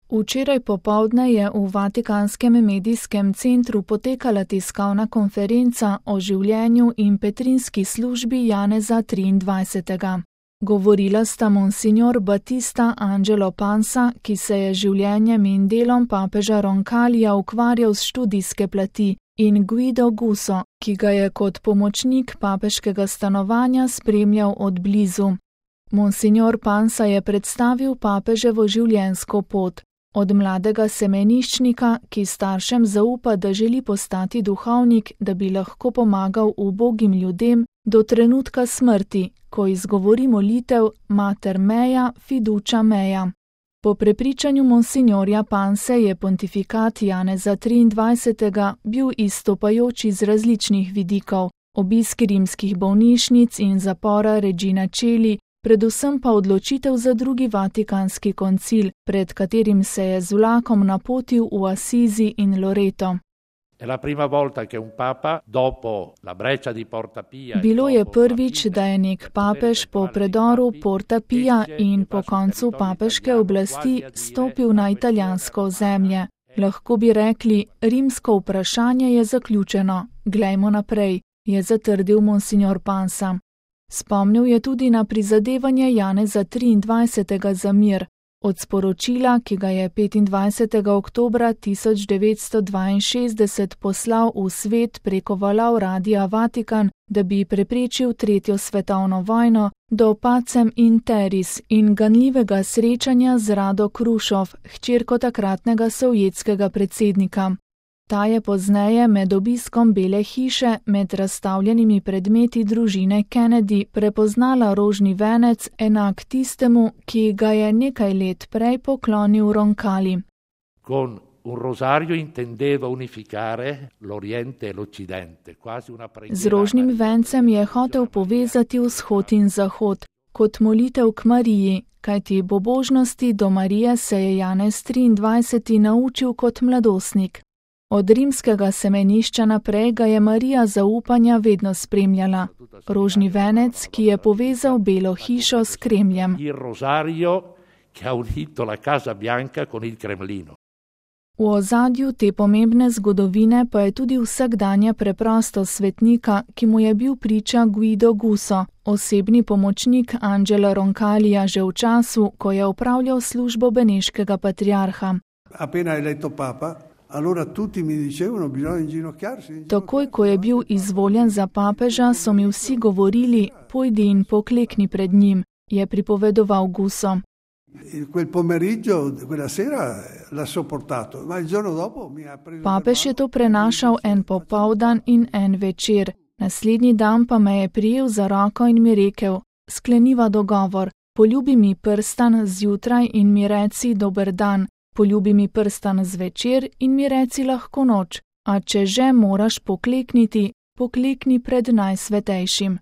Včeraj popoldne je v Vatikanskem medijskem centru potekala tiskovna konferenca o življenju in petrinski službi Janeza 23. Govorila sta monsignor Battista Angelo Pansa, ki se je življenjem in delom papeža Roncalija ukvarjal s študijske plati, in Guido Guso, ki ga je kot pomočnik papeškega stanovanja spremljal od blizu. Monsignor Pansa je predstavil papeževo življenjsko pot. Od mladega semeniščnika, ki staršem zaupa, da želi postati duhovnik, da bi lahko pomagal ubogim ljudem, do trenutka smrti, ko izgovori molitev Mater mea fiducia mea. Po prepričanju monsignorja Panse je pontifikat Janeza 23. bil izstopajoč iz različnih vidikov, obisk rimskih bolnišnic in zapora Regina Coeli, predvsem pa odločitev za drugi vatikanski koncil, pred katerim se je z vlakom napotil v Assisi in Loreto. Bilo je prvič, da je nek papež po predoru Porta Pia in po koncu papeške oblasti stopil na italijansko ozemlje. Lahko bi rekli, rimsko vprašanje je zaključeno, glejmo naprej, je zatrdil monsignor Pansa. Spomnil je tudi na prizadevanje Janeza 23. za mir. Od sporočila, ki ga je 25. oktobra 1962 poslal v svet preko valov Radia Vatikan, da bi preprečil tretjo svetovno vojno, do Pacem in Terris in ganljivega srečanja z Rado Krušov, hčerko takratnega sovjetskega predsednika. Ta je pozneje med obiskom Bele hiše med razstavljenimi predmeti družine Kennedy prepoznala rožni venec enak tistemu, ki ga je nekaj let prej poklonil Roncalli. Z rožnim vencem je hotel povezati vzhod in zahod, kot molitev k Mariji, kajti bobožnosti do Marije se je Janez 23. naučil kot mladostnik. Od rimskega semenišča naprej ga je Marija zaupanja vedno spremljala. Rožni venec, ki je povezal Belo hišo s Kremljem. V ozadju te pomembne zgodovine pa je tudi vsakdanja preprostost svetnika, ki mu je bil priča Guido Guso, osebni pomočnik Angela Roncallija že v času, ko je opravljal službo beneškega patriarha. Takoj, ko je bil izvoljen za papeža, so mi vsi govorili, pojdi in poklekni pred njim, je pripovedoval Guso. Papež je to prenašal en popoldan in en večer, naslednji dan pa me je prijel za roko in mi rekel, skleniva dogovor, poljubi mi prstan zjutraj in mi reci dober dan. Poljubi mi prstan zvečer in mi reci lahko noč, a če že moraš poklekniti, poklekni pred najsvetejšim.